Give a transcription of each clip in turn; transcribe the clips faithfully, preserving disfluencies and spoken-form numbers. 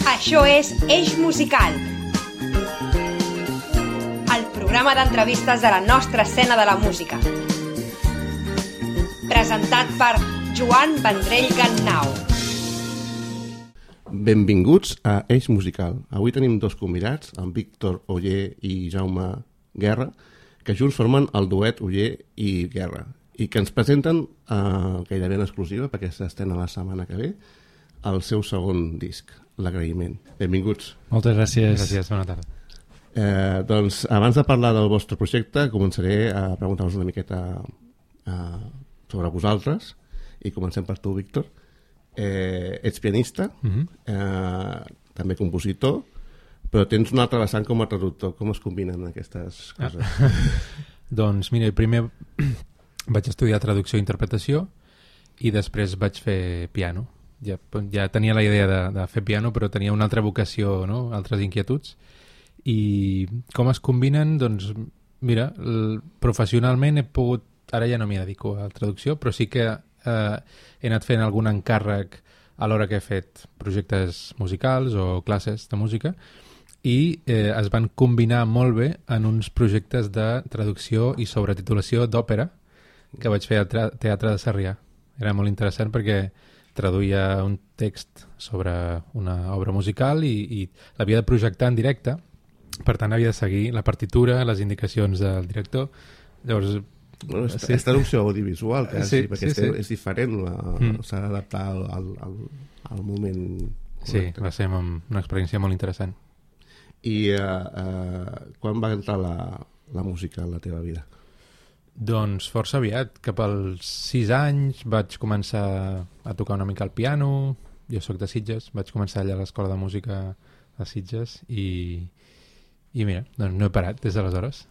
Això és Eix Musical, el programa d'entrevistes de la nostra escena de la música. Presentat per Joan Vendrell Gannau. Benvinguts a Eix Musical. Avui tenim dos convidats, en Víctor Oller i Jaume Guerra, que junts formen el duet Oller i Guerra i que ens presenten eh, gairebé en exclusiva, perquè s'estrena la setmana que ve, el seu segon disc, L'Agraïment. Benvinguts. Moltes gràcies. Gràcies, bona tarda. Eh, doncs, abans de parlar del vostre projecte, començaré a preguntar-vos una miqueta eh, sobre vosaltres, i comencem per tu, Víctor. Eh, ets pianista, Mm-hmm. eh, també compositor, però tens un altre vessant com a traductor. Com es combinen aquestes coses? Ah. Doncs mira, primer vaig estudiar traducció i interpretació i després vaig fer piano. Ja, ja tenia la idea de, de fer piano, però tenia una altra vocació, no? Altres inquietuds. I com es combinen? Doncs mira, el, professionalment he pogut, ara ja no m'hi dedico a la traducció, però sí que eh, he anat fent algun encàrrec a l'hora que he fet projectes musicals o classes de música i eh, es van combinar molt bé en uns projectes de traducció i sobretitulació d'òpera que vaig fer al Teatre de Sarrià. Era molt interessant perquè traduïa un text sobre una obra musical i, i l'havia de projectar en directe, per tant havia de seguir la partitura, les indicacions del director. Llavors, bueno, és, sí. és traducció audiovisual, quasi, Sí, perquè sí, sí. és, és diferent, la, Mm. s'ha d'adaptar al, al, al, al moment sí, correcte. va ser una experiència molt interessant. I uh, uh, quan va entrar la, la música en la teva vida? Doncs força aviat, cap als sis anys vaig començar a tocar una mica el piano. Jo sóc de Sitges, vaig començar allà a l'escola de música de Sitges i, i mira, doncs no he parat des d'aleshores.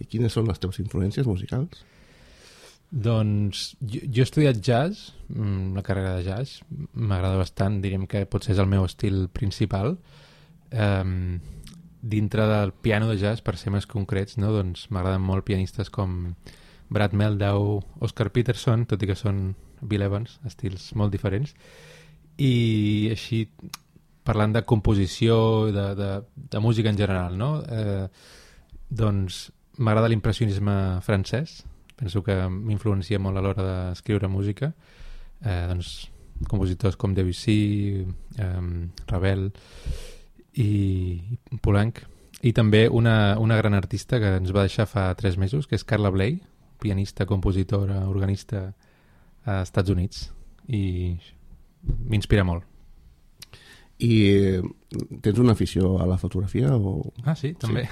I quines són les teves influències musicals? Doncs jo, jo he estudiat jazz, la carrera de jazz, m'agrada bastant, diríem que potser és el meu estil principal. Um, dintre del piano de jazz, per ser més concrets, no? Doncs m'agraden molt pianistes com Brad Mehldau, Oscar Peterson, tot i que són Bill Evans, estils molt diferents. I així, parlant de composició, de, de, de música en general, no? Eh, doncs m'agrada l'impressionisme francès, penso que m'influencia molt a l'hora d'escriure música. Eh, doncs compositors com Debussy, eh, Ravel i Poulenc, i també una, una gran artista que ens va deixar fa tres mesos, que és Carla Bley, pianista, compositora, organista a Estats Units, i m'inspira molt. I eh, tens una afició a la fotografia? O... Ah, sí, també.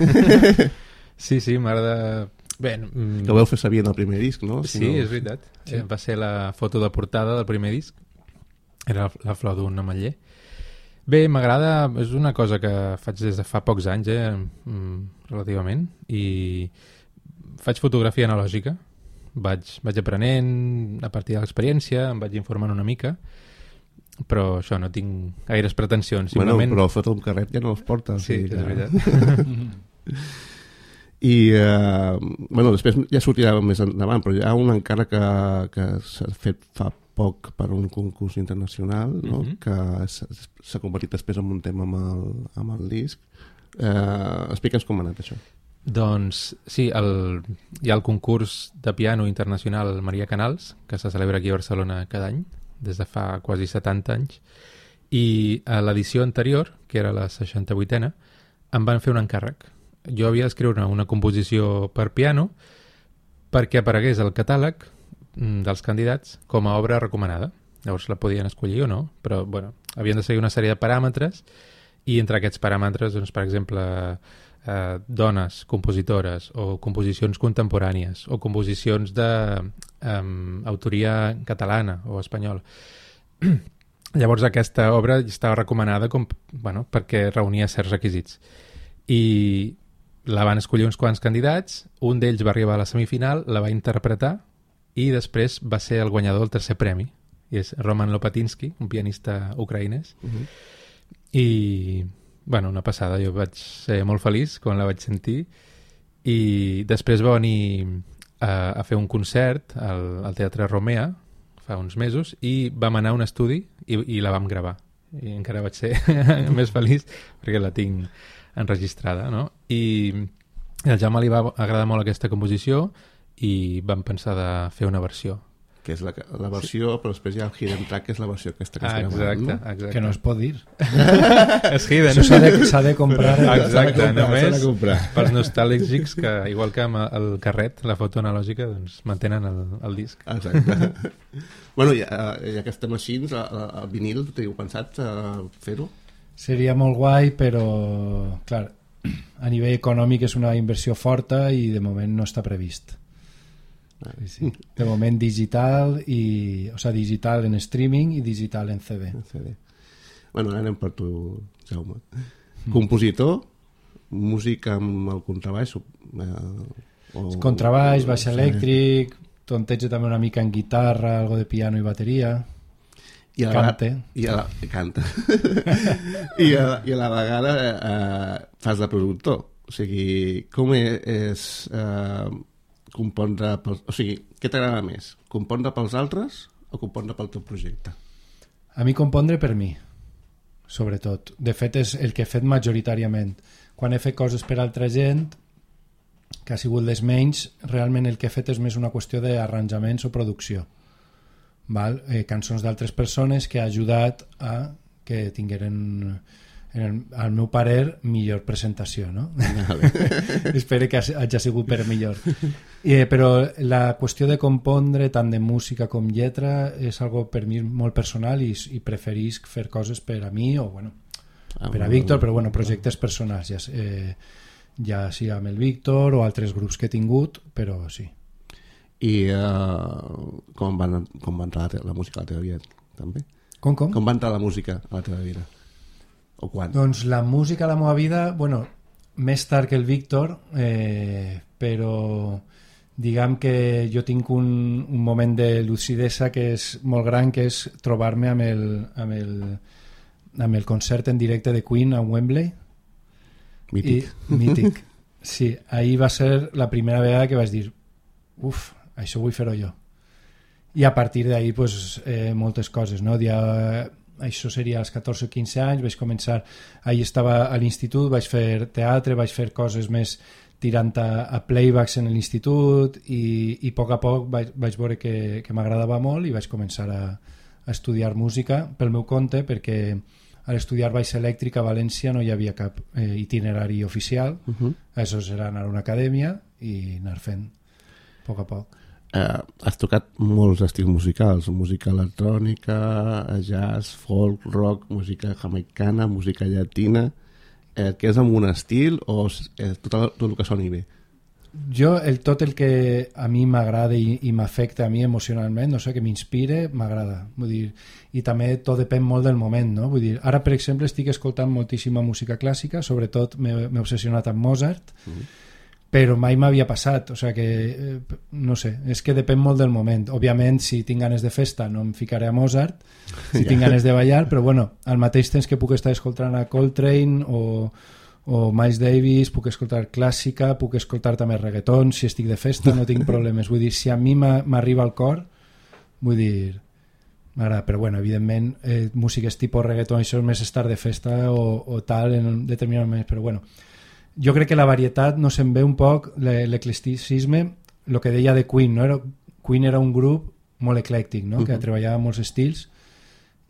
Sí, sí, m'agrada... Bé, mm... Que ho veu fer saber en el primer disc, no? Si sí, no... és veritat. Sí. Va ser la foto de portada del primer disc. Era la flor d'un ametller. Bé, m'agrada, és una cosa que faig des de fa pocs anys, eh, relativament, i faig fotografia analògica. Vaig, vaig aprenent a partir de l'experiència, em vaig informant una mica, però això, no tinc gaires pretensions. Bueno, simplement... però foto amb carret ja no els porta. Sí, o sigui és que... veritat. I, eh, bueno, després ja sortirà més endavant, però hi ha un encàrrec que, que s'ha fet fa poc per un concurs internacional, no? Mm-hmm. Que s'ha convertit després en un tema amb el, amb el disc. Eh, explica'ns com ha anat això. Doncs sí, el, hi ha el concurs de piano internacional Maria Canals, que se celebra aquí a Barcelona cada any, des de fa quasi setanta anys, i a l'edició anterior, que era la seixanta-vuitena, em van fer un encàrrec. Jo havia d'escriure una composició per piano perquè aparegués al catàleg dels candidats com a obra recomanada. Llavors la podien escollir o no, però bueno, havien de seguir una sèrie de paràmetres i entre aquests paràmetres, doncs, per exemple, eh, dones compositores o composicions contemporànies o composicions d'autoria eh, catalana o espanyola. Llavors aquesta obra estava recomanada com, bueno, perquè reunia certs requisits. I la van escollir uns quants candidats, un d'ells va arribar a la semifinal, la va interpretar i després va ser el guanyador del tercer premi. I és Roman Lopatinsky, un pianista ucraïnès. Uh-huh. I, bueno, una passada. Jo vaig ser molt feliç quan la vaig sentir. I després va venir a, a fer un concert al, al Teatre Romea fa uns mesos i vam anar a un estudi i, i la vam gravar. i encara vaig ser més feliç perquè la tinc enregistrada, no? I al Jaume li va agradar molt aquesta composició i vam pensar de fer una versió. Que és la, la versió, sí. Però després hi ha el hidden track, que és la versió aquesta que ah, està exacte, gravant, no? exacte. Que no es pot dir. És hidden. Això s'ha de, s'ha de comprar. Exacte, només de comprar. pels nostàlgics que, igual que amb el carret, la foto analògica, doncs mantenen el, el disc. Exacte. Bueno, ja, ja que estem així, el, el vinil, teniu pensat uh, fer-ho? Seria molt guai, però clar, a nivell econòmic és una inversió forta i de moment no està previst. Sí, sí. De moment digital i, o sigui, digital en streaming i digital en C D. En C D. Bueno, ara anem per tu, Jaume. Mm. Compositor, música amb el contrabaix, eh, o... contrabaix, baix elèctric, tonteja també una mica en guitarra, algo de piano i bateria. I a la cante. I a la, canta. I, a, I a la vegada eh, fas de productor. O sigui, com és... Eh, compondre pels... O sigui, què t'agrada més? Compondre pels altres o compondre pel teu projecte? A mi compondre per mi, sobretot. De fet, és el que he fet majoritàriament. Quan he fet coses per altra gent, que ha sigut les menys, realment el que he fet és més una qüestió d'arranjaments o producció. Val? Eh, cançons d'altres persones que ha ajudat a que tingueren... en el, al meu parer, millor presentació, no? Vale. Espero que hagi sigut per millor. Eh, però la qüestió de compondre, tant de música com lletra, és algo per mi molt personal i, i preferisc fer coses per a mi o, bueno, ah, per a Víctor, però, bueno, projectes personals, ja, eh, ja sigui amb el Víctor o altres grups que he tingut, però sí. I uh, com, van, com va entrar la, la música a la teva vida, també? Com, com? Com va entrar la música a la teva vida? O quan? Doncs la música a la meva vida, bueno, més tard que el Víctor, eh, però diguem que jo tinc un, un moment de lucidesa que és molt gran, que és trobar-me amb el, amb el, amb el concert en directe de Queen a Wembley. Mític. I, mític. Sí, ahir va ser la primera vegada que vaig dir uf, això vull fer-ho jo. I a partir d'ahir, pues, eh, moltes coses, no? Ja... això seria als catorze o quinze anys, vaig començar, ahir estava a l'institut, vaig fer teatre, vaig fer coses més tirant a, a playbacks en l'institut i, i a poc a poc vaig, vaig veure que, que m'agradava molt i vaig començar a, a estudiar música pel meu compte, perquè a estudiar baix elèctric a València no hi havia cap eh, itinerari oficial, uh-huh. Això era anar a una acadèmia i anar fent a poc a poc. Uh, has tocat molts estils musicals, música electrònica, jazz, folk, rock, música jamaicana, música llatina. Eh, que és amb un estil o és tot, el, tot el que soni bé? Jo, el, tot el que a mi m'agrada i, i m'afecta a mi emocionalment, no sé, que m'inspire, m'agrada. Vull dir, i també tot depèn molt del moment, no? Vull dir, ara, per exemple, estic escoltant moltíssima música clàssica, sobretot m'he, m'he obsessionat amb Mozart, mm-hmm. Però mai m'havia passat, o sigui que, eh, no sé, és que depèn molt del moment. Òbviament, si tinc ganes de festa no em ficaré a Mozart, si tinc ganes de ballar, però bueno, al mateix temps que puc estar escoltant a Coltrane o, o Miles Davis, puc escoltar clàssica, puc escoltar també reggaeton, si estic de festa no tinc problemes. Vull dir, si a mi m'arriba al cor, vull dir, m'agrada, però bueno, evidentment, eh, músiques tipus reggaeton, això és més estar de festa o, o tal en un determinat moment, però bueno, jo crec que la varietat no se'n ve un poc, l'eclecticisme, el que deia de Queen, no? Era, Queen era un grup molt eclèctic, no? Uh-huh. Que treballava molts estils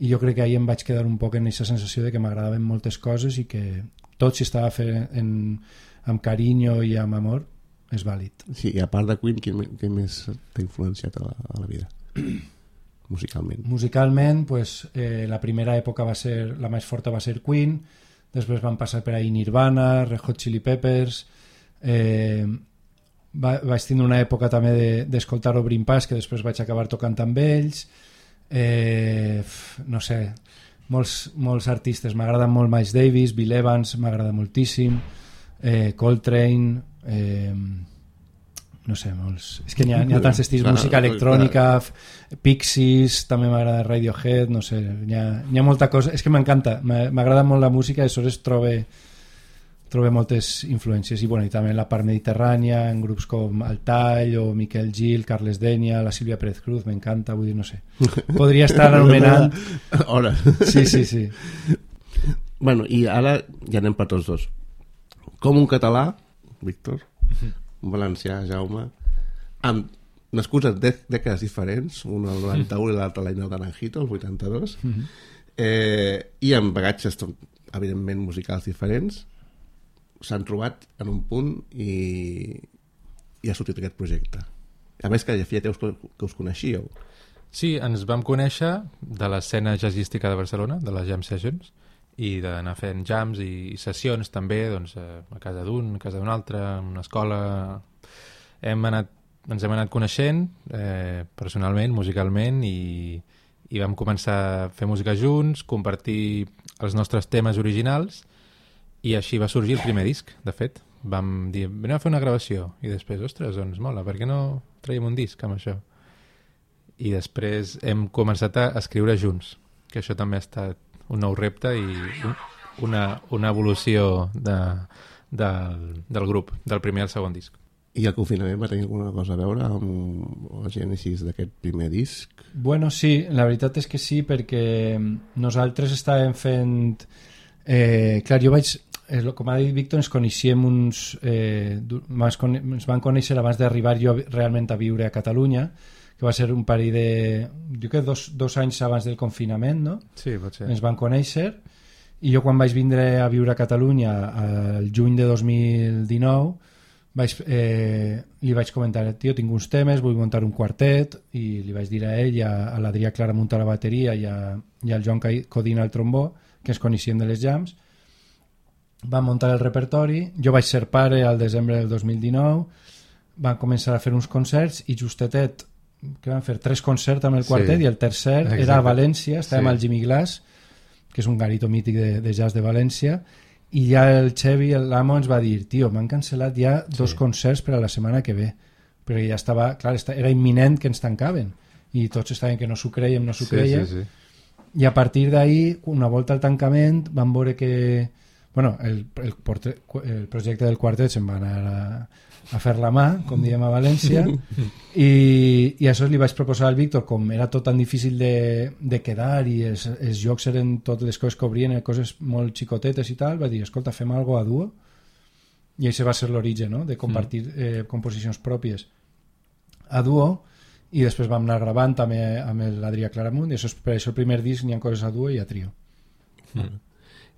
i jo crec que ahir em vaig quedar un poc en aquesta sensació de que m'agradaven moltes coses i que tot si estava fet en, amb carinyo i amb amor és vàlid. Sí, i a part de Queen, què, què més t'ha influenciat a la, a la vida? Musicalment. Musicalment, pues, eh, la primera època va ser, la més forta va ser Queen. Després van passar per ahí Nirvana, Red Hot Chili Peppers, eh, va, vaig tenir una època també de, d'escoltar Obrin Pas, que després vaig acabar tocant amb ells, eh, no sé, molts, molts artistes, m'agraden molt Miles Davis, Bill Evans, m'agrada moltíssim, eh, Coltrane, eh, no sé, molts... És que n'hi ha, n'hi ha tants estils, clar, música electrònica, clar. Pixies, també m'agrada Radiohead, no sé, n'hi ha, n'hi ha molta cosa, és que m'encanta, m'agrada molt la música i aleshores trobe, trobem moltes influències i, bueno, i també en la part mediterrània, en grups com Altall o Miquel Gil, Carles Denia, la Sílvia Pérez Cruz, m'encanta, vull dir, no sé, podria estar anomenant hora. Sí, sí, sí. Bueno, i ara ja anem per tots dos. Com un català, Víctor, un valencià, Jaume, amb nascuts en dec dècades diferents, un el noranta-u i l'altre l'any del Naranjito, el vuitanta-dos, mm-hmm. eh, i amb bagatges, evidentment, musicals diferents, s'han trobat en un punt i, i ha sortit aquest projecte. A més que ja feia temps que, que us coneixíeu. Sí, ens vam conèixer de l'escena jazzística de Barcelona, de les Jam Sessions, i d'anar fent jams i sessions també, doncs, a casa d'un, a casa d'un altre, en una escola. Hem anat ens hem anat coneixent eh, personalment, musicalment, i, i vam començar a fer música junts, compartir els nostres temes originals, i així va sorgir el primer disc, de fet. Vam dir, anem a fer una gravació, i després, ostres, doncs mola, per què no traiem un disc amb això? I després hem començat a escriure junts, que això també ha estat un nou repte i un, una, una evolució de, del, del grup, del primer al segon disc. I el confinament va tenir alguna cosa a veure amb la gènesis d'aquest primer disc? Bueno, sí, la veritat és que sí, perquè nosaltres estàvem fent... Eh, clar, jo vaig... Eh, com ha dit Víctor, ens coneixíem uns... Eh, ens van conèixer abans d'arribar jo realment a viure a Catalunya, que va ser un parell de... Jo crec dos, dos anys abans del confinament, no? Sí, pot ser. Ens van conèixer, i jo quan vaig vindre a viure a Catalunya el juny de dos mil dinou... Vaig, eh, li vaig comentar, tio, tinc uns temes, vull muntar un quartet, i li vaig dir a ell, a, a l'Adrià Claramunt a la bateria i, a, i al Joan Codina al trombó, que ens coneixíem de les jams. Vam muntar el repertori, jo vaig ser pare al desembre del dos mil dinou, van començar a fer uns concerts i justetet, que van fer tres concerts amb el quartet, sí, i el tercer exacte. Era a València, estàvem sí. al Jimmy Glass, que és un garito mític de, de jazz de València, i ja el Xevi, l'amo, ens va dir, tio, m'han cancel·lat ja dos sí. concerts per a la setmana que ve, perquè ja estava, clar, era imminent que ens tancaven, i tots estaven que no s'ho creiem, no s'ho sí, creia, sí, sí. I a partir d'ahir, una volta al tancament, van veure que, bueno, el, el, portre, el projecte del quartet se'n va anar a, a fer la mà, com diem a València, i, i això li vaig proposar al Víctor, com era tot tan difícil de, de quedar i els, els jocs eren totes les coses que obrien, coses molt xicotetes i tal, va dir, escolta, fem algo a duo, i això va ser l'origen, no?, de compartir eh, composicions pròpies a duo, i després vam anar gravant també amb l'Adrià Claramunt, i això és, per això el primer disc n'hi ha coses a duo i a trio. Mm.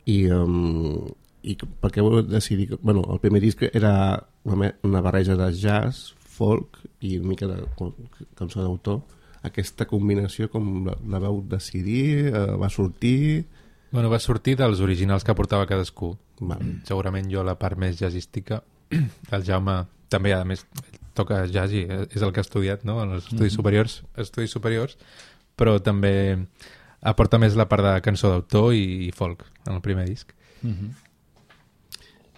I... Um... I per què vau decidir... Bueno, el primer disc era una, una barreja de jazz, folk i una mica de cançó d'autor. Aquesta combinació, com la, la vau decidir? Eh, va sortir? Bueno, va sortir dels originals que portava cadascú. Vale. Segurament jo la part més jazzística. El Jaume també, a més, toca jazz i és el que ha estudiat, no?, en els estudis, mm-hmm. superiors, estudis superiors, però també aporta més la part de cançó d'autor i, i folk en el primer disc. Mm-hmm.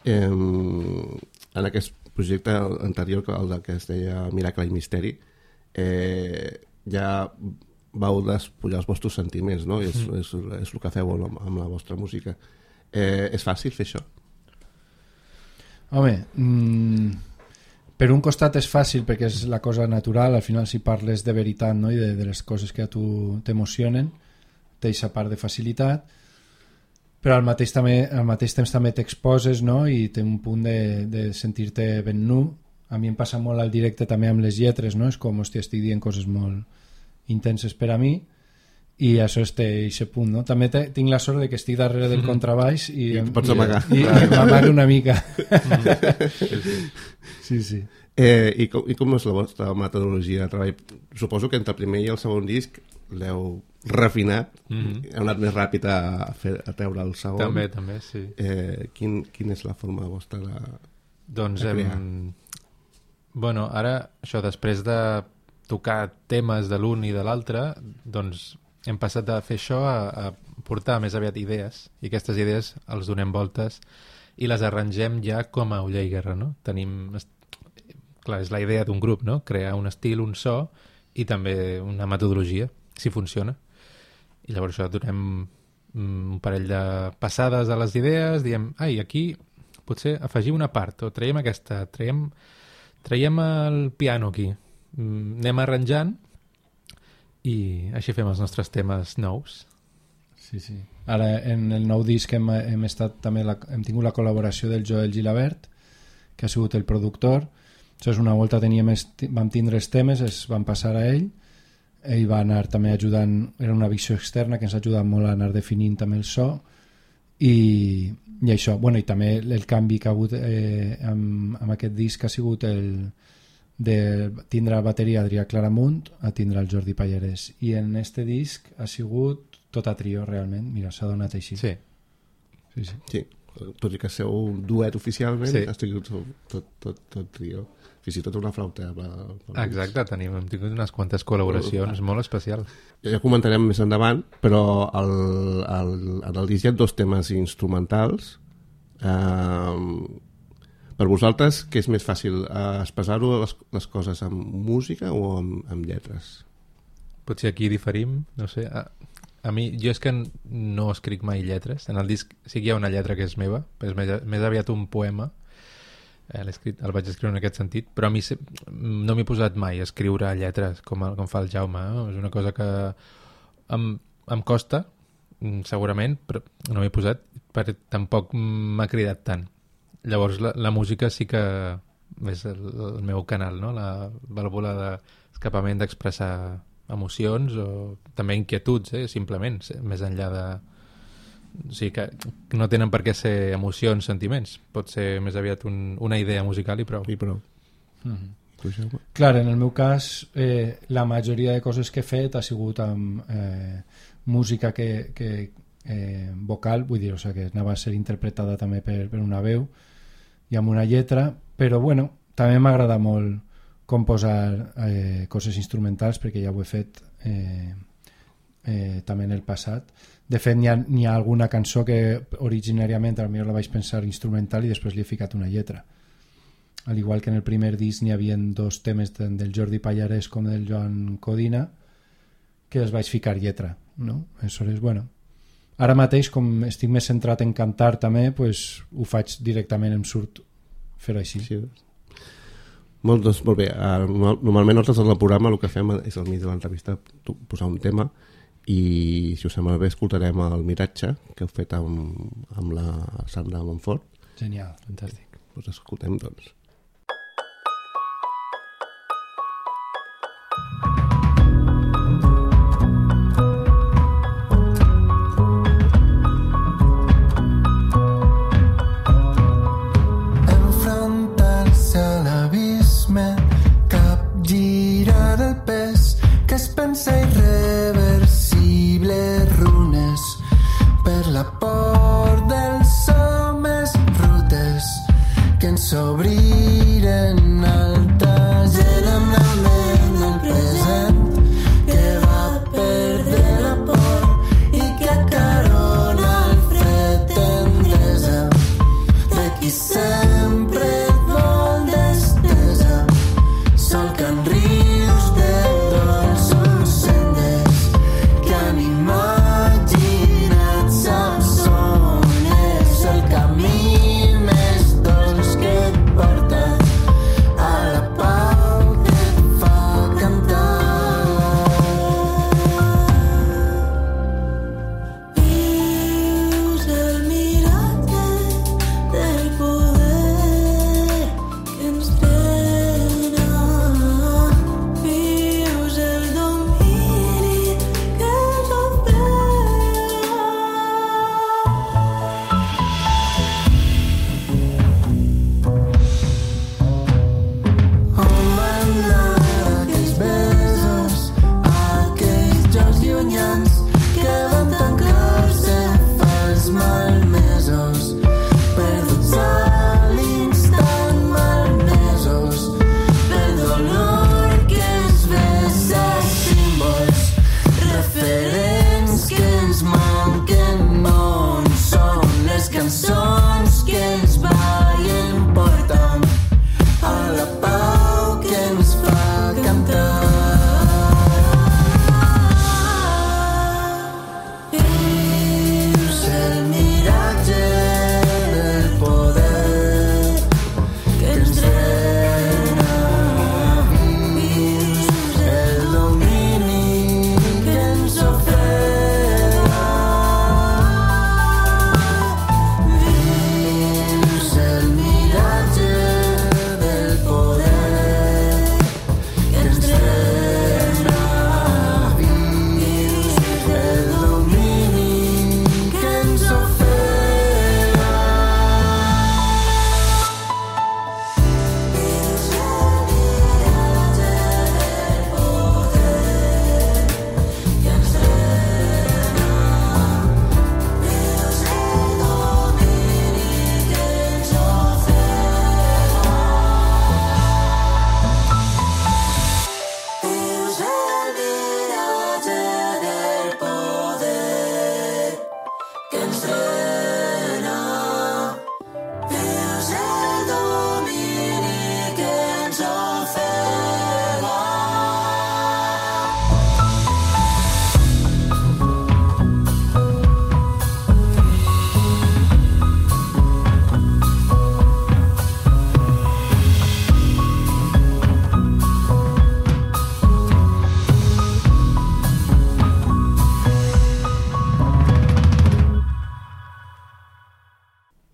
Eh, en aquest projecte anterior, el que es deia Miracle i Misteri, eh, ja vau despullar els vostres sentiments, no? Mm. És, és, és el que feu amb, amb la vostra música. Eh, és fàcil fer això? Home, mmm, per un costat és fàcil perquè és la cosa natural, al final si parles de veritat, no?, i de, de les coses que a tu t'emocionen, té aquesta part de facilitat, però al mateix, també, al mateix temps també t'exposes, no?, i té un punt de, de sentir-te ben nu. A mi em passa molt al directe també amb les lletres, no? És com, hòstia, estic dient coses molt intenses per a mi, i això és aquest punt, no? També te, tinc la sort de que estic darrere del contrabaix i, I pots amagar. I, i, i m'amago una mica. Sí, sí. Eh, i, com, I com és la vostra metodologia de treball? Suposo que entre el primer i el segon disc l'heu refinat, mm-hmm. heu anat més ràpid a, fer, a treure el segon. També, també, sí. Eh, quin, quina és la forma vostra de, doncs, de crear? Hem... Bueno, ara, això, després de tocar temes de l'un i de l'altre, doncs hem passat de fer això a, a portar més aviat idees, i aquestes idees els donem voltes i les arrangem ja com a Oller i Guerra, no? Tenim... Clar, és la idea d'un grup, no? Crear un estil, un so i també una metodologia, si funciona. I llavors això donem un parell de passades a les idees, diem, ai, aquí potser afegim una part, o traiem aquesta, traiem, traiem el piano aquí, mm, anem arranjant i així fem els nostres temes nous. Sí, sí. Ara, en el nou disc hem, hem, estat, també la, hem tingut la col·laboració del Joel Gilabert, que ha sigut el productor. Això és una volta teníem est, vam tindre els temes, es van passar a ell, ell va anar també ajudant, era una visió externa que ens ha ajudat molt a anar definint també el so, i, i això, bueno, i també el canvi que ha hagut eh, amb, amb aquest disc ha sigut el de tindre la bateria Adrià Claramunt a tindre el Jordi Pallarès, i en este disc ha sigut tot a trio realment, mira, s'ha donat així. Sí. Sí, sí. Sí, tot i que seu un duet oficialment, sí. ha sigut tot, tot, tot trio. Fins i tot una flauta. Exacte, tenim, hem tingut unes quantes col·laboracions, uh, molt especial. Ja comentarem més endavant, però el, el, en el disc hi ha dos temes instrumentals. Uh, per vosaltres, què és més fàcil? Uh, expressar-ho les, les coses amb música o amb, amb lletres? Potser aquí diferim, no sé. A, a mi, jo és que no escric mai lletres. En el disc sí que hi ha una lletra que és meva, però és més, més aviat un poema. Eh, escrit, el vaig escriure en aquest sentit, però a mi se, no m'he posat mai a escriure lletres com, com fa el Jaume, eh? És una cosa que em, em costa segurament, però no m'he posat perquè tampoc m'ha cridat tant. Llavors la, la música sí que és el, el meu canal, no? La vàlvula d'escapament d'expressar emocions o també inquietuds, eh? Simplement, més enllà de... O sigui que no tenen per què ser emocions, sentiments. Pot ser més aviat un, una idea musical i prou. I prou. Mm-hmm. Clar, en el meu cas eh, la majoria de coses que he fet ha sigut amb eh, música que, que eh, vocal, vull dir, o sigui, que anava a ser interpretada també per, per una veu i amb una lletra, però bueno, també m'agrada molt composar eh, coses instrumentals perquè ja ho he fet eh, eh, també en el passat. De fet, n'hi ha, n'hi ha alguna cançó que originàriament potser la vaig pensar instrumental i després li he ficat una lletra. Al igual que en el primer disc n'hi havia dos temes tant del Jordi Pallarès com del Joan Codina que els vaig ficar lletra, no? Aleshores, bueno, ara mateix, com estic més centrat en cantar també, pues, ho faig directament, em surt fer-ho així. Sí. Molt, doncs, molt bé. Uh, normalment nosaltres en el programa el que fem és al mig de l'entrevista posar un tema i si us sembla bé escoltarem el Miratge que heu fet amb, amb la Sandra Montfort. Genial, fantàstic. Doncs escoltem, doncs. Enfrontar-se a l'abisme, capgirar el pes que es pensa irreversible, runes per la por dels homes rutes que ens obrin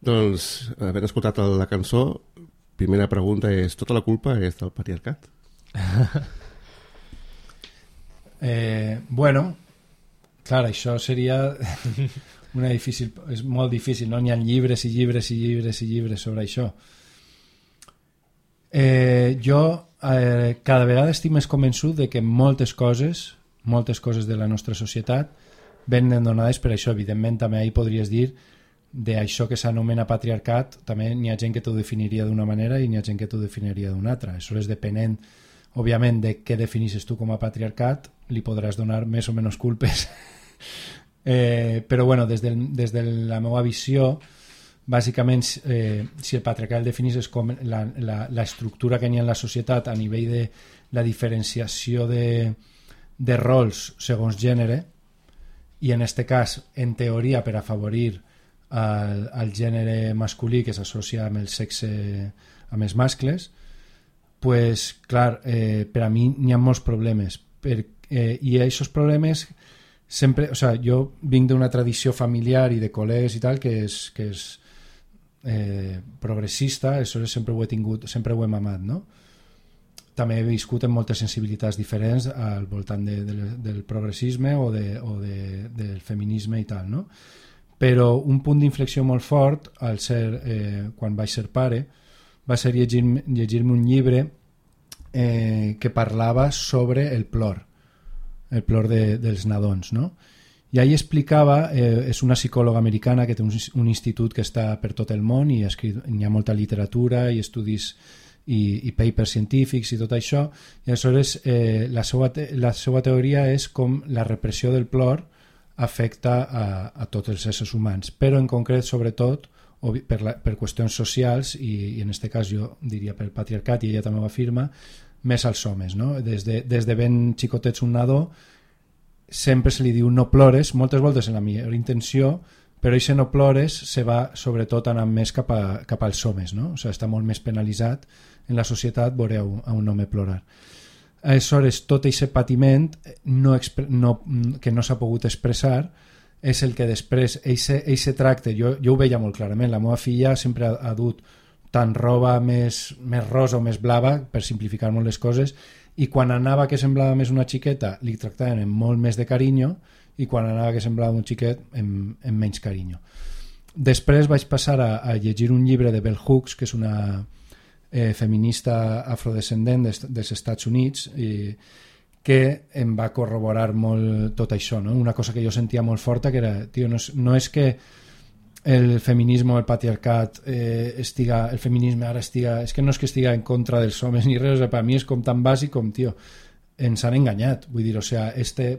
Doncs, havent escoltat la cançó, primera pregunta és, tota la culpa és del patriarcat? eh, bueno, clar, això seria una difícil, és molt difícil, no? N'hi ha llibres i llibres i llibres i llibres sobre això. Eh, jo eh, cada vegada estic més convençut de que moltes coses, moltes coses de la nostra societat venen donades per això. Evidentment també ahí podries dir d'això que s'anomena patriarcat, també n'hi ha gent que t'ho definiria d'una manera i n'hi ha gent que t'ho definiria d'una altra. Això és depenent, òbviament, de què definisses tu com a patriarcat, li podràs donar més o menys culpes. eh, però bueno, des de, des de la meva visió, bàsicament, eh, si el patriarcat el definisses com la, la, la estructura que n'hi ha en la societat a nivell de la diferenciació de, de rols segons gènere, i en aquest cas, en teoria, per afavorir el, el gènere masculí que s'associa amb el sexe, amb els mascles, pues, clar, eh, per a mi n'hi ha molts problemes. Per, eh, I aquests problemes sempre... O sea, jo vinc d'una tradició familiar i de col·legues i tal que és... Que és Eh, progressista, això sempre ho he tingut, sempre ho hem amat, no? També he viscut en moltes sensibilitats diferents al voltant de, de, del progressisme o, de, o de, del feminisme i tal, no? Però un punt d'inflexió molt fort al ser, eh, quan vaig ser pare, va ser llegir-me llegir un llibre eh, que parlava sobre el plor, el plor de, dels nadons, no? I ahí explicava, eh, és una psicòloga americana que té un, un institut que està per tot el món i escrit, hi ha molta literatura i estudis i, i papers científics i tot això, i aleshores eh, la, seva te, la seva teoria és com la repressió del plor afecta a, a tots els éssers humans, però en concret sobretot per, la, per qüestions socials i, i en aquest cas jo diria per patriarcat, i ella també ho afirma, més als homes, no? Des de, des de ben xicotets un nadó sempre se li diu no plores, moltes voltes en la millor intenció, però això no plores se va sobretot anant més cap, a, cap als homes, no? O sigui, està molt més penalitzat en la societat veure a un, a un home plorar. Aleshores, tot aquest patiment no, no, que no s'ha pogut expressar és el que després, aquest tracte, jo, jo ho veia molt clarament, la meva filla sempre ha, ha dut tant roba més, més rosa o més blava, per simplificar molt les coses, i quan anava que semblava més una xiqueta li tractaven amb molt més de carinyo i quan anava que semblava un xiquet amb, amb menys carinyo. Després vaig passar a, a llegir un llibre de Bell Hooks, que és una eh, feminista afrodescendent des, dels Estats Units, i que em va corroborar molt tot això, no? Una cosa que jo sentia molt forta, que era, tio, no és, no és que el feminisme o el patriarcat eh, estiga, el feminisme ara estiga, és que no és que estiga en contra dels homes ni res, o sigui, per mi és com tan bàsic com, tio, ens han enganyat, vull dir, o sigui, este,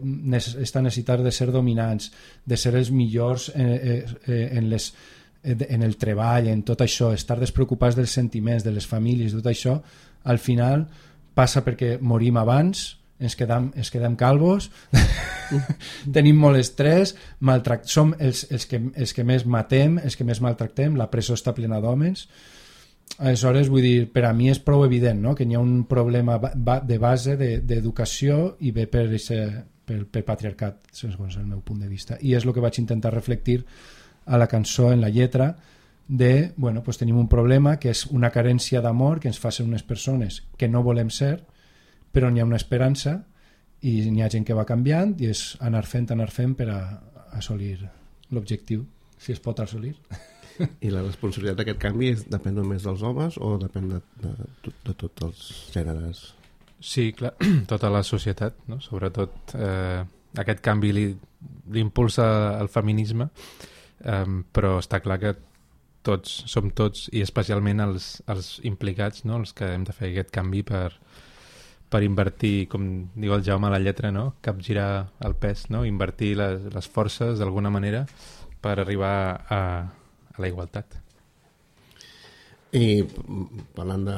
esta necessitat de ser dominants, de ser els millors eh, eh, en, les, en el treball, en tot això, estar despreocupats dels sentiments, de les famílies, tot això, al final passa perquè morim abans, ens quedem, ens quedem calvos, tenim molt estrès, maltract... som els, els, que, els que més matem, els que més maltractem, la presó està plena d'homes. Aleshores, vull dir, per a mi és prou evident, no? Que hi ha un problema de base d'educació i ve per, ese, per, per patriarcat, segons el meu punt de vista. I és el que vaig intentar reflectir a la cançó, en la lletra, de, bueno, pues tenim un problema que és una carència d'amor que ens fa ser unes persones que no volem ser, però n'hi ha una esperança i n'hi ha gent que va canviant i és anar fent, anar fent per a assolir l'objectiu, si es pot assolir. I la responsabilitat d'aquest canvi és, depèn només dels homes o depèn de, de, de, de tots els gèneres? Sí, clar, tota la societat, no? Sobretot eh, aquest canvi li, li impulsa el feminisme, eh, però està clar que tots, som tots, i especialment els, els implicats, no? Els que hem de fer aquest canvi per per invertir, com diu el Jaume a la lletra, no? Capgirar el pes, no? Invertir les, les forces d'alguna manera per arribar a, a la igualtat. I parlant de,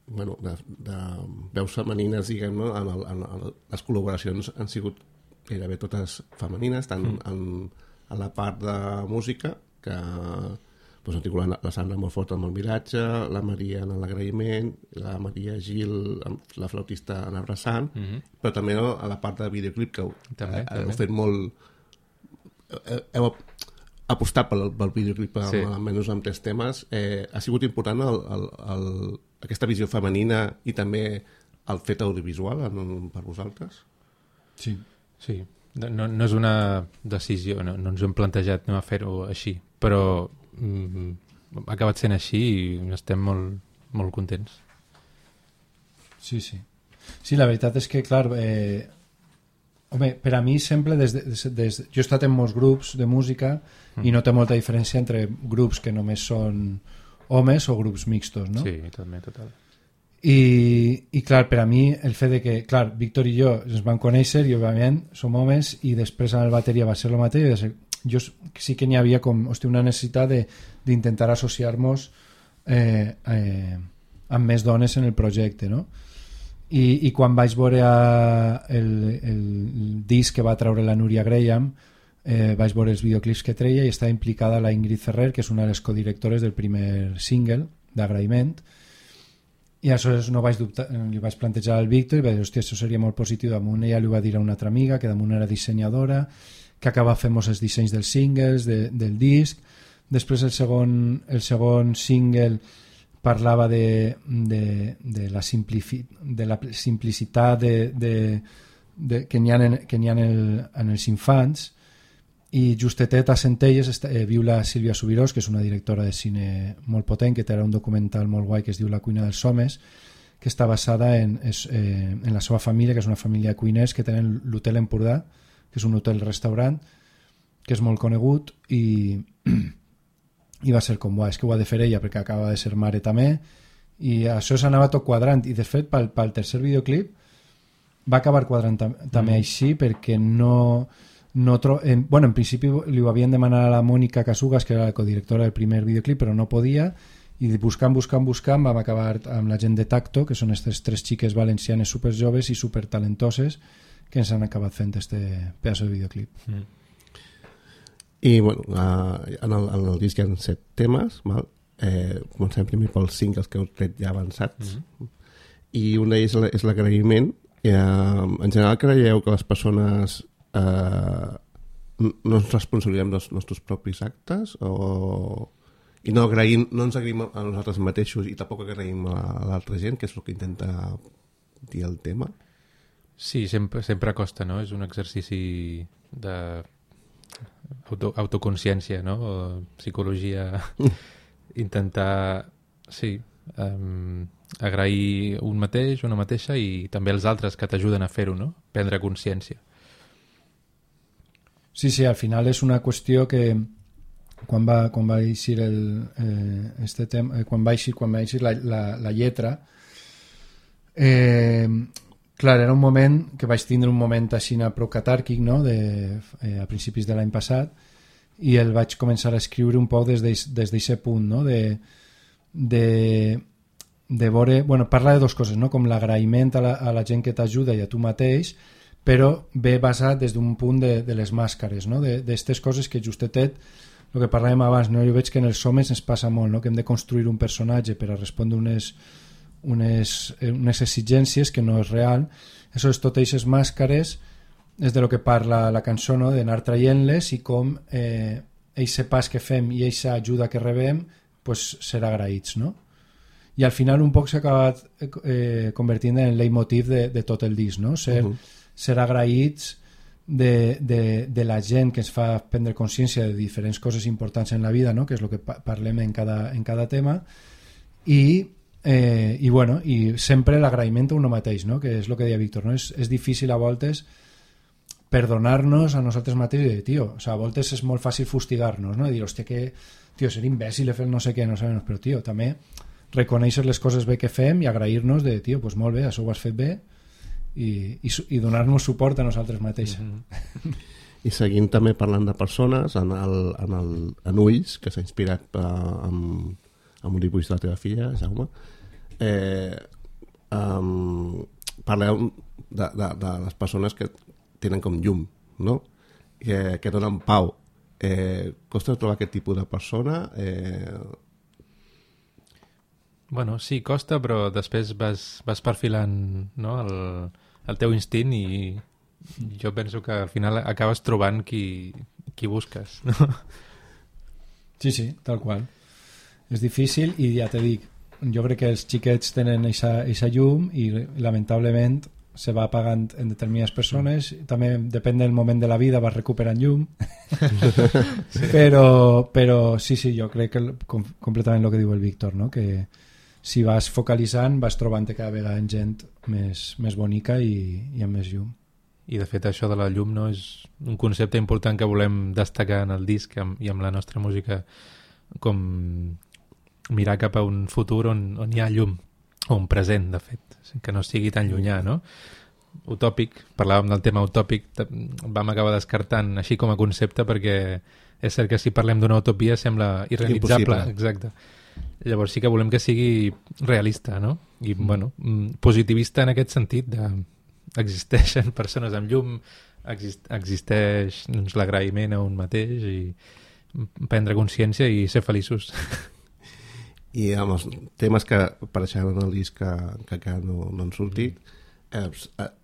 bueno, de, de veus femenines, diguem, no? en el, en el, les col·laboracions han sigut gairebé totes femenines, tant mm. en, en la part de música, que doncs, articulant la Sandra molt fort amb el miratge, la Maria en l'agraïment, la Maria Gil, la flautista en abraçant, mm-hmm. però també, no, a la part de videoclip que heu, també, heu també. fet molt... Heu, apostar pel, pel videoclip amb, Sí. almenys amb tres temes, eh, ha sigut important el, el, el, aquesta visió femenina i també el fet audiovisual en, per vosaltres? Sí. Sí, no, no és una decisió, no, no ens ho hem plantejat no, a fer-ho així, però mm, ha acabat sent així i estem molt, molt contents. Sí, sí. Sí, la veritat és que, clar, eh, home, per a mi sempre, des de, des, des, jo he estat en molts grups de música mm. i no té molta diferència entre grups que només són homes o grups mixtos, no? Sí, també, total. I, i clar, per a mi el fet de que, clar, Víctor i jo ens vam conèixer i òbviament som homes i després amb el bateria va ser el mateix, de ser, jo sí que n'hi havia com, hòstia, una necessitat d'intentar associar-nos eh, eh, amb més dones en el projecte, no? I, i quan vaig veure el, el disc que va treure la Núria Graham, eh, vaig veure els videoclips que treia i està implicada la Ingrid Ferrer, que és una de les codirectores del primer single d'Agraïment, i aleshores no vaig dubtar, li vaig plantejar al Víctor i vaig dir, hòstia, això seria molt positiu. Damunt ella li va dir a una altra amiga, que damunt era dissenyadora, que acaba fent-nos els dissenys dels singles, de, del disc. Després el segon, el segon single parlava de, de, de, la, simplifi, de la simplicitat de, de, de, que n'hi ha, en, que n'hi ha en, el, en els infants, i justetet a Centelles està, eh, viu la Sílvia Subirós, que és una directora de cine molt potent, que té un documental molt guai que es diu La cuina dels homes, que està basada en, es, eh, en la seva família, que és una família de cuiners que tenen l'Hotel Empordà, que és un hotel-restaurant que és molt conegut, i i va ser com, és que ho ha de fer ella perquè acaba de ser mare també, i això s'anava tot quadrant, i de fet pel, pel tercer videoclip va acabar quadrant tam també mm. així, perquè no, no tro en, bueno, en principi li ho havien demanat a la Mònica Casugas, que era la codirectora del primer videoclip, però no podia, i buscant, buscant, buscant vam acabar amb la gent de Tacto, que són aquestes tres xiques valencianes superjoves i supertalentoses que ens han acabat fent este pedaç de videoclip. Mm. I bueno, uh, en, el, en el disc hi ha set temes, val? Eh, comencem primer pels singles que heu tret ja avançats, mm-hmm. i un d'ells és l'agraïment. Eh, en general creieu que les persones eh, no ens responsabilitzem dels nostres propis actes o... i no, agraïm, no ens agraïm a nosaltres mateixos i tampoc agraïm a l'altra gent, que és el que intenta dir el tema? Sí, sempre, sempre costa, no? És un exercici de auto, autoconsciència, no? O psicologia, intentar, sí, um, agrair un mateix, una mateixa, i també els altres que t'ajuden a fer-ho, no? Prendre consciència. Sí, sí, al final és una qüestió que quan va, quan va eixir el, eh, este tema, eh, quan va eixir, quan va eixir la, la, la lletra, eh, clar, era un moment que vaig tindre un moment així prou catàrquic, no? de, eh, a principis de l'any passat, i el vaig començar a escriure un poc des d'aquest punt, no? de, de, de veure, bueno, parla de dues coses, no? Com l'agraïment a, la, a la gent que t'ajuda i a tu mateix, però ve basat des d'un punt de, de les màscares, no? D'aquestes coses que justetet, el que parlàvem abans, no? Jo veig que en els homes ens passa molt, no? Que hem de construir un personatge per a respondre unes, unes, unes exigències que no és real. Això és tot aquestes màscares, és de lo que parla la cançó, no? D'anar traient-les i com eh, eixe pas que fem i eixa ajuda que rebem pues, ser agraïts, no? I al final un poc s'ha acabat eh, convertint en el leitmotiv de, de tot el disc, no? Ser, uh -huh. ser agraïts de, de, de la gent que ens fa prendre consciència de diferents coses importants en la vida, no? Que és el que pa parlem en cada, en cada tema, i, eh, i, bueno, i sempre l'agraïment a uno mateix, no? Que és el que deia Víctor, no? És, és difícil a voltes perdonar-nos a nosaltres mateixos i dir, tio, o sea, a voltes és molt fàcil fustigar-nos, no? I dir, hòstia, que, tio, ser imbècil he fet no sé què, no sé, però, tio, també reconèixer les coses bé que fem i agrair-nos de, tio, doncs molt bé, això ho has fet bé, i, i, i donar-nos suport a nosaltres mateixos. Mm-hmm. I seguint també parlant de persones, en, el, en, el, en Ulls, que s'ha inspirat uh, amb, amb un dibuix de la teva filla, Jaume, eh, um, parleu de, de, de les persones que tenen com llum, no? Que, que donen pau. Eh, costa trobar aquest tipus de persona? Eh... Bueno, sí, costa, però després vas, vas perfilant, no? el, el teu instint, i jo penso que al final acabes trobant qui, qui busques, no? Sí, sí, tal qual. És difícil i ja te dic, jo crec que els xiquets tenen aquesta llum i lamentablement se va apagant en determinades persones, també depèn del moment de la vida vas recuperant llum. Sí. però, però sí, sí, jo crec que com, completament el que diu el Víctor, no? Que si vas focalitzant vas trobant cada vegada gent més, més bonica i, i amb més llum. I de fet això de la llum no és un concepte important que volem destacar en el disc i amb la nostra música, com mirar cap a un futur on, on hi ha llum, o un present, de fet, que no sigui tan llunyà, no? Utòpic, parlàvem del tema utòpic, vam acabar descartant així com a concepte perquè és cert que si parlem d'una utopia sembla irrealitzable. Impossible. Exacte. Llavors sí que volem que sigui realista, no? I, mm. bueno, positivista en aquest sentit de existeixen persones amb llum, exist existeix doncs, l'agraïment a un mateix i prendre consciència i ser feliços. I amb els temes que apareixen en el disc que, que encara no, no han sortit, eh,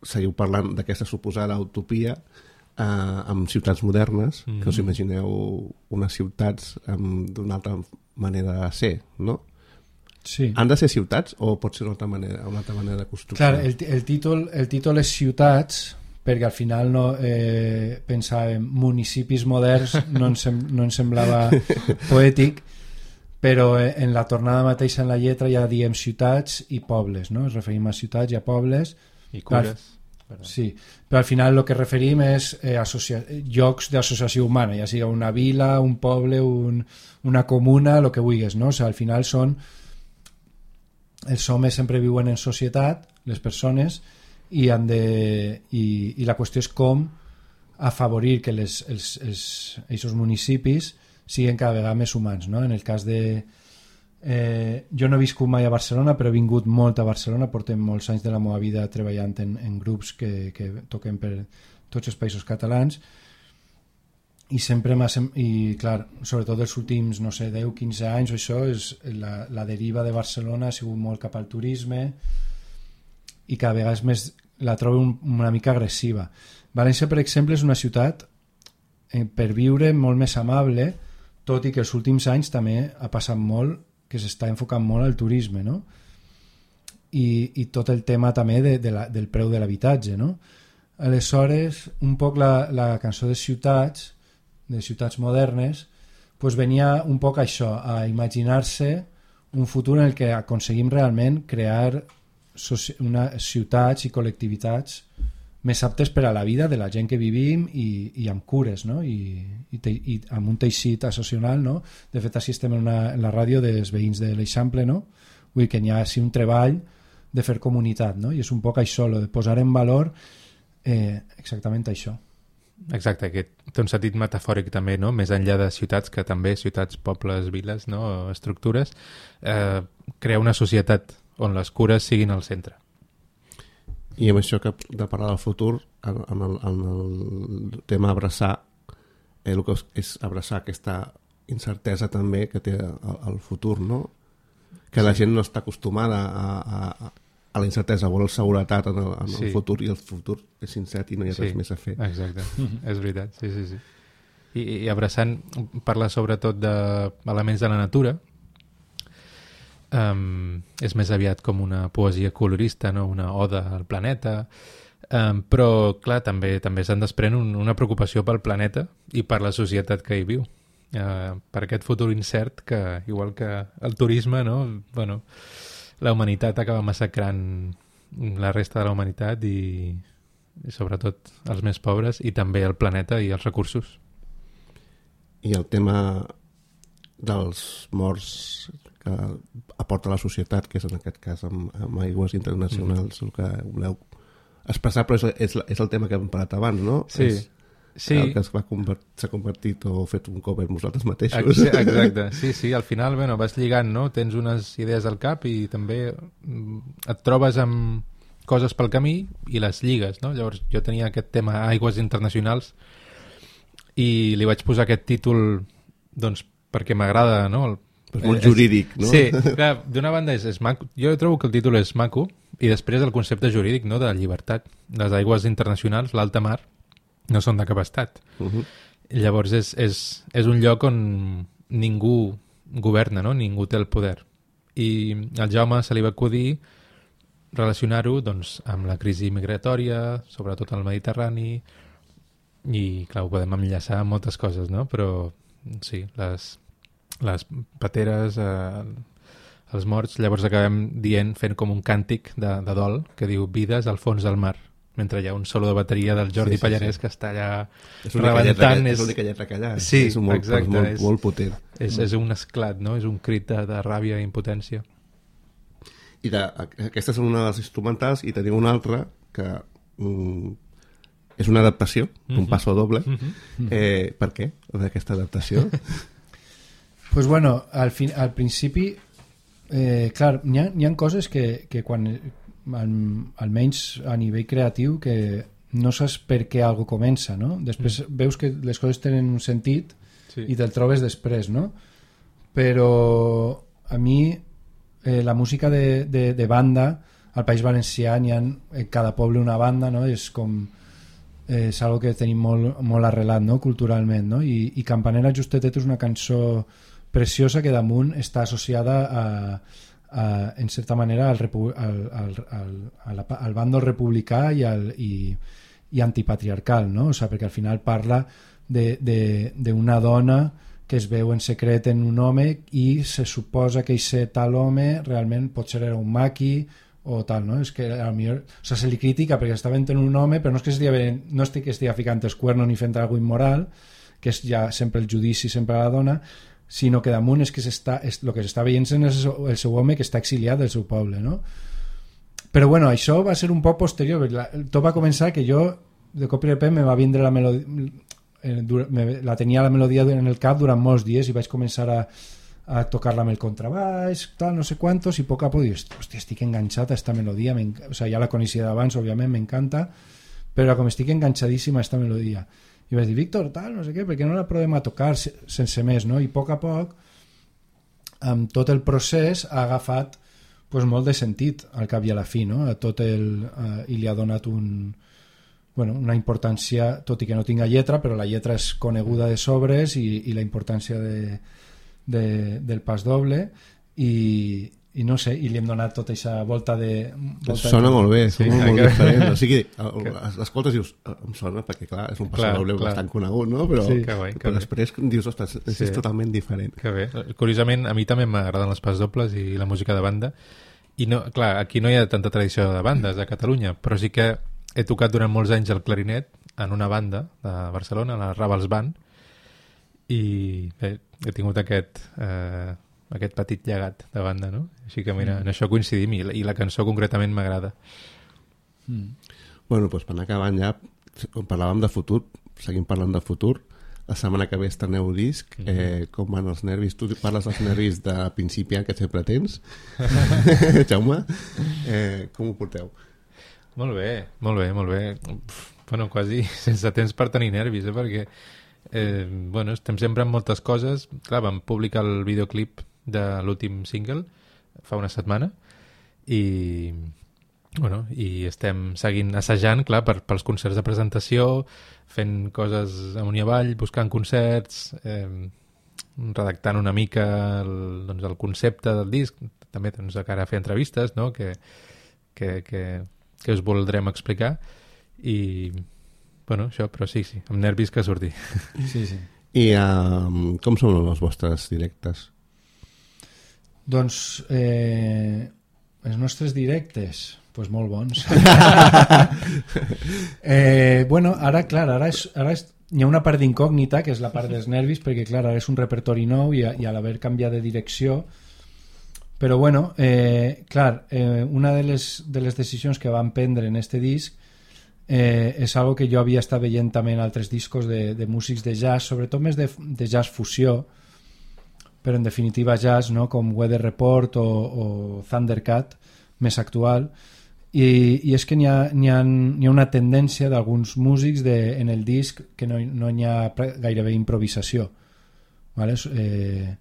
seguiu parlant d'aquesta suposada utopia eh, amb ciutats modernes, mm. que us imagineu unes ciutats d'una altra manera de ser, no? Sí. Han de ser ciutats o pot ser una altra manera, una altra manera de construcció? Clar, el, el, títol, el títol és ciutats perquè al final no, eh, pensàvem municipis moderns, no ens, sem no ens semblava poètic, però en la tornada mateixa en la lletra ja diem ciutats i pobles, no? Ens referim a ciutats i a pobles. I cures. Al, sí, però al final el que referim és eh, llocs d'associació humana, ja sigui una vila, un poble, un, una comuna, el que vulguis, no? O sigui, al final són... Els homes sempre viuen en societat, les persones, i, han de, i, i la qüestió és com afavorir que les, els, els, aquests municipis siguin cada vegada més humans, no? En el cas de... Eh, jo no he viscut mai a Barcelona, però he vingut molt a Barcelona, portem molts anys de la meva vida treballant en, en grups que, que toquen per tots els països catalans, i sempre m'ha... I clar, sobretot els últims, no sé, deu quinze anys o això, és la, la deriva de Barcelona ha sigut molt cap al turisme i cada vegada és més, la trobo un, una mica agressiva. València, per exemple, és una ciutat eh, per viure molt més amable, tot i que els últims anys també ha passat molt que s'està enfocant molt al turisme, no? I, i tot el tema també de, de la, del preu de l'habitatge, no? Aleshores, un poc la, la cançó de ciutats, de ciutats modernes, pues venia un poc això, a imaginar-se un futur en el que aconseguim realment crear una, ciutats i col·lectivitats més aptes per a la vida de la gent que vivim i, i amb cures, no? I, i, te, i amb un teixit associacional, no? De fet, així estem en, una, en la ràdio dels veïns de l'Eixample, no? Vull dir que hi ha així un treball de fer comunitat, no? I és un poc això, lo de posar en valor eh, exactament això. Exacte, que té un sentit metafòric també, no? Més enllà de ciutats, que també ciutats, pobles, viles, no? Estructures, eh, crear una societat on les cures siguin al centre. I amb això que de parlar del futur, en el, en el tema abraçar, eh, el que és abraçar aquesta incertesa també que té el, el futur, no? Que sí. La gent no està acostumada a, a, a la incertesa, vol seguretat en el, en el sí. futur, i el futur és incert i no hi ha sí. res més a fer. Exacte, és veritat, sí, sí, sí. I, i abraçant, parla sobretot d'elements de la natura. Um, és més aviat com una poesia colorista, no? Una oda al planeta, um, però clar, també també se'n desprèn un, una preocupació pel planeta i per la societat que hi viu, uh, per aquest futur incert que, igual que el turisme, no? Bueno, la humanitat acaba massacrant la resta de la humanitat i, i sobretot els més pobres, i també el planeta i els recursos. I el tema dels morts que aporta la societat, que és en aquest cas amb, amb aigües internacionals, mm. el que voleu expressar, però és, és, és el tema que hem parlat abans, no? Sí. És sí. El que s'ha convertit, convertit o fet un cover vosaltres mateixos. Exacte, sí, sí, al final bueno, vas lligant, no? Tens unes idees al cap i també et trobes amb coses pel camí i les lligues, no? Llavors jo tenia aquest tema aigües internacionals i li vaig posar aquest títol doncs perquè m'agrada, no? El és molt jurídic, no? Sí, clar, d'una banda és, és maco. Jo trobo que el títol és maco i després el concepte jurídic, no?, de la llibertat. Les aigües internacionals, l'alta mar, no són de cap estat. Uh-huh. Llavors és, és, és un lloc on, ningú governa, no? Ningú té el poder. I al Jaume se li va acudir relacionar-ho doncs, amb la crisi migratòria, sobretot al Mediterrani, i clar, ho podem enllaçar amb moltes coses, no? Però sí, les, les pateres, eh, els morts, llavors acabem dient, fent com un càntic de, de dol que diu vides al fons del mar, mentre hi ha un solo de bateria del Jordi sí, sí, Pallarès sí. que està allà és rebentant. És l'única lletra que hi ha. Sí, és molt, exacte. Molt, és, molt potent. És, és un esclat, no? És un crit de, de ràbia i impotència. I de, aquesta és una de les instrumentals i tenim una altra que mm, és una adaptació d'un Mm-hmm. passo doble. Mm-hmm. Eh, per què d'aquesta adaptació? Pues bueno, al, fin, al principi eh, clar, n'hi ha, n'hi ha coses que, que quan al, almenys a nivell creatiu que no saps per què algo comença, no? Després mm. veus que les coses tenen un sentit sí. i te'l trobes després, no? Però a mi eh, la música de, de, de banda al País Valencià n'hi ha en cada poble una banda, no? És com eh, és algo que tenim molt, molt arrelat, no? Culturalment, no? I, i Campanera Justetet és una cançó preciosa que damunt està associada a, a, en certa manera al, repu al, al, al, al, al bàndol republicà i, al, i, i antipatriarcal, no? O sigui, perquè al final parla d'una dona que es veu en secret en un home i se suposa que aquest tal home realment potser era un maqui o tal, no? És que a millor, o sigui, se li critica perquè està venent un home, però no és que estigui, no estigui, que estigui ficant els cuernos ni fent alguna immoral, que és ja sempre el judici, sempre a la dona, sinó que damunt és que s'està, és, el que s'està veient és el seu home que està exiliat del seu poble, no? Però bueno, això va ser un poc posterior, la, tot va començar que jo de cop i repent me va vindre la melodia, eh, me, la tenia la melodia en el cap durant molts dies i vaig començar a, a tocar-la amb el contrabaix, tal, no sé quantos, i a poc a poc dius, hòstia, estic enganxat a esta melodia, o sea, ja la coneixia d'abans, òbviament, m'encanta, però com estic enganxadíssima a esta melodia. I vaig dir, Víctor, tal, no sé què, perquè no la provem a tocar sense més, no? I a poc a poc, amb tot el procés, ha agafat pues, molt de sentit al cap i a la fi, no? A tot el, uh, i li ha donat un, bueno, una importància, tot i que no tinga lletra, però la lletra és coneguda de sobres i, i la importància de, de, del pas doble i, i no sé, i li hem donat tota aquesta volta de... Volta sona de... molt bé, sí, sona molt que... diferent. O sigui, l'escoltes i dius, em sona, perquè clar, és un passo doble bastant conegut, no? Però, sí, que bé, que però bé. després dius, ostres, és sí. totalment diferent. Que bé. Curiosament, a mi també m'agraden les pas dobles i la música de banda. I no, clar, aquí no hi ha tanta tradició de bandes a Catalunya, però sí que he tocat durant molts anys el clarinet en una banda de Barcelona, la Ravals Band, i bé, he tingut aquest... Eh, aquest petit llegat de banda, no? Així que mira, mm. en això coincidim i la, i la cançó concretament m'agrada. Mm. Bueno, doncs per anar acabant ja, parlàvem de futur, seguim parlant de futur. La setmana que ve estreneu disc, mm. eh, com van els nervis? Tu parles dels nervis de principiant que sempre tens. Jaume, eh, com ho porteu? Molt bé, molt bé, molt bé. Uf, bueno, quasi sense temps per tenir nervis, eh? Perquè eh, bueno, estem sempre en moltes coses. Clar, vam publicar el videoclip de l'últim single fa una setmana i bueno, i estem seguint assajant, clar, per, pels concerts de presentació, fent coses amunt i avall, buscant concerts, eh, redactant una mica el, doncs, el concepte del disc, també doncs, de cara a fer entrevistes, no? que, que, que, que us voldrem explicar i bueno, això, però sí, sí, amb nervis que surti. Sí, sí. I um, com són els vostres directes? Doncs eh, els nostres directes pues molt bons. eh, bueno, ara clar, ara, és, ara és, hi ha una part d'incògnita que és la part dels nervis perquè clar, ara és un repertori nou i, i a l'haver canviat de direcció però bueno, eh, clar eh, una de les, de les decisions que vam prendre en este disc eh, és algo que jo havia estat veient també en altres discos de, de músics de jazz, sobretot més de, de jazz fusió, però en definitiva jazz, no? Com Weather Report o, o Thundercat, més actual, i, i és que n'hi ha, n'hi ha, n'hi ha una tendència d'alguns músics de, en el disc que no, no hi ha gairebé improvisació, ¿vale? Eh,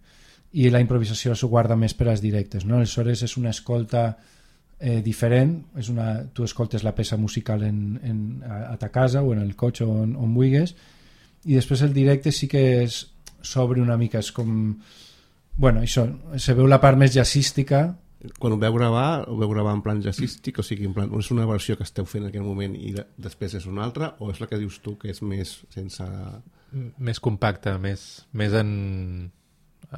i la improvisació s'ho guarda més per als directes, no? Aleshores és una escolta eh, diferent, és una, tu escoltes la peça musical en, en, a, a ta casa o en el cotxe on, on vulguis, i després el directe sí que és s'obre una mica, és com... Bueno, això, se veu la part més jazzística. Quan ho veu gravar, ho veu gravar en plan jazzístic, o sigui, en plan, és una versió que esteu fent en aquell moment i de, després és una altra, o és la que dius tu que és més sense... Més compacta, més, més en,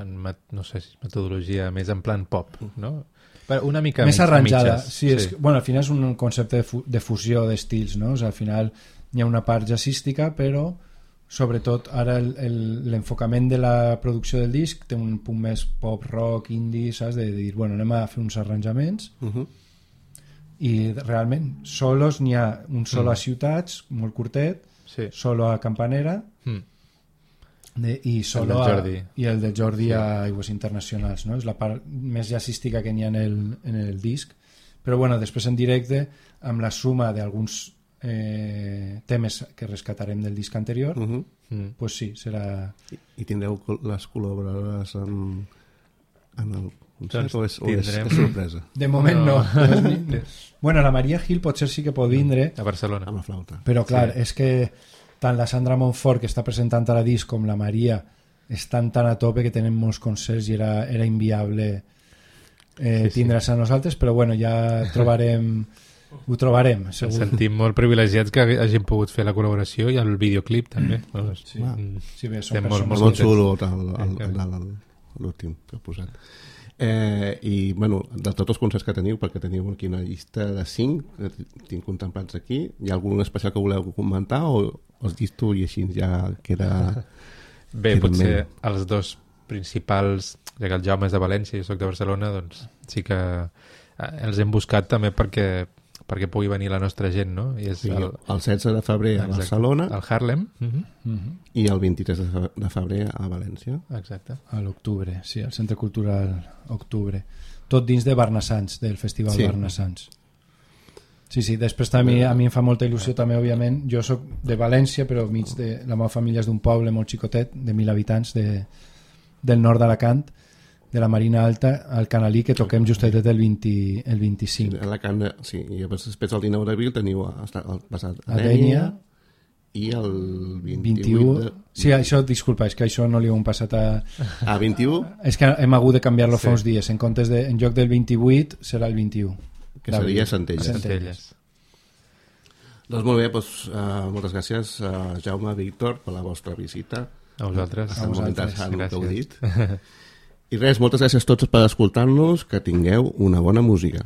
en no sé si metodologia, més en plan pop, no? Però una mica més arranjada, mitges, sí, és, sí. Bueno, al final és un concepte de, fu de fusió d'estils, no? O sigui, al final hi ha una part jazzística, però sobretot ara l'enfocament de la producció del disc té un punt més pop rock, indie, saps? De dir, bueno, anem a fer uns arranjaments uh -huh. i realment solos n'hi ha un solo mm. a Ciutats, molt curtet, sí. Solo a Campanera mm. de, i solo el a, i el de Jordi sí. a Aigües Internacionals, no? És la part més jazzística que n'hi ha en el, en el disc, però bueno, després en directe amb la suma d'alguns Eh, temes que rescatarem del disc anterior, uh -huh. mm. pues sí, serà... I, i tindreu les col·laboradores en, en el concert, doncs o, és, o és, és sorpresa? De moment no, no. Bueno, la Maria Gil potser sí que pot vindre a Barcelona amb la flauta, però clar, sí. És que tant la Sandra Montfort que està presentant a la disc com la Maria estan tan a tope que tenen molts concerts i era, era inviable eh, sí, tindre's sí. a nosaltres, però bueno, ja trobarem ho trobarem, segur. Ens sentim molt privilegiats que hagin pogut fer la col·laboració i el videoclip també. Mm. Bueno, sí. Ah. Sí, bé, són molt, molt, molt xulo l'últim que he posat. Eh, I bueno, de tots els concerts que teniu, perquè teniu aquí una llista de cinc que tinc contemplats aquí, hi ha algun especial que voleu comentar o els llisto i així ja queda... Bé, potser els dos principals, ja que el Jaume és de València i jo soc de Barcelona, doncs sí que els hem buscat també perquè perquè pugui venir la nostra gent, no? I és sí, el... el setze de febrer a Exacte. Barcelona, al Harlem, uh -huh. Uh -huh. i el vint-i-tres de febrer a València. Exacte. A l'octubre, sí, al Centre Cultural Octubre. Tot dins de Barnassans, del Festival sí. Barnassans. Sí, sí, després també a mi em fa molta il·lusió també, òbviament. Jo sóc de València, però mig de la meva família és d'un poble molt xicotet, de mil habitants, de, del nord d'Alacant, de la Marina Alta, al Canalí, que toquem justet el, vint, el vint-i-cinc. Sí, a Alacant, sí, i després el dinou d'abril teniu basat a Dénia i el vint-i-u... vint-i-u de... Sí, això, disculpa, és que això no li ho hem passat a... A vint-i-u? És que hem hagut de canviar-lo sí. fa uns dies. En comptes de, en lloc del vint-i-vuit serà el vint-i-u. Que seria Centelles. Centelles. Doncs molt bé, doncs, uh, moltes gràcies a Jaume, Víctor, per la vostra visita. A vosaltres. A vosaltres. Gràcies. I res, moltes gràcies a tots per escoltar-nos, que tingueu una bona música.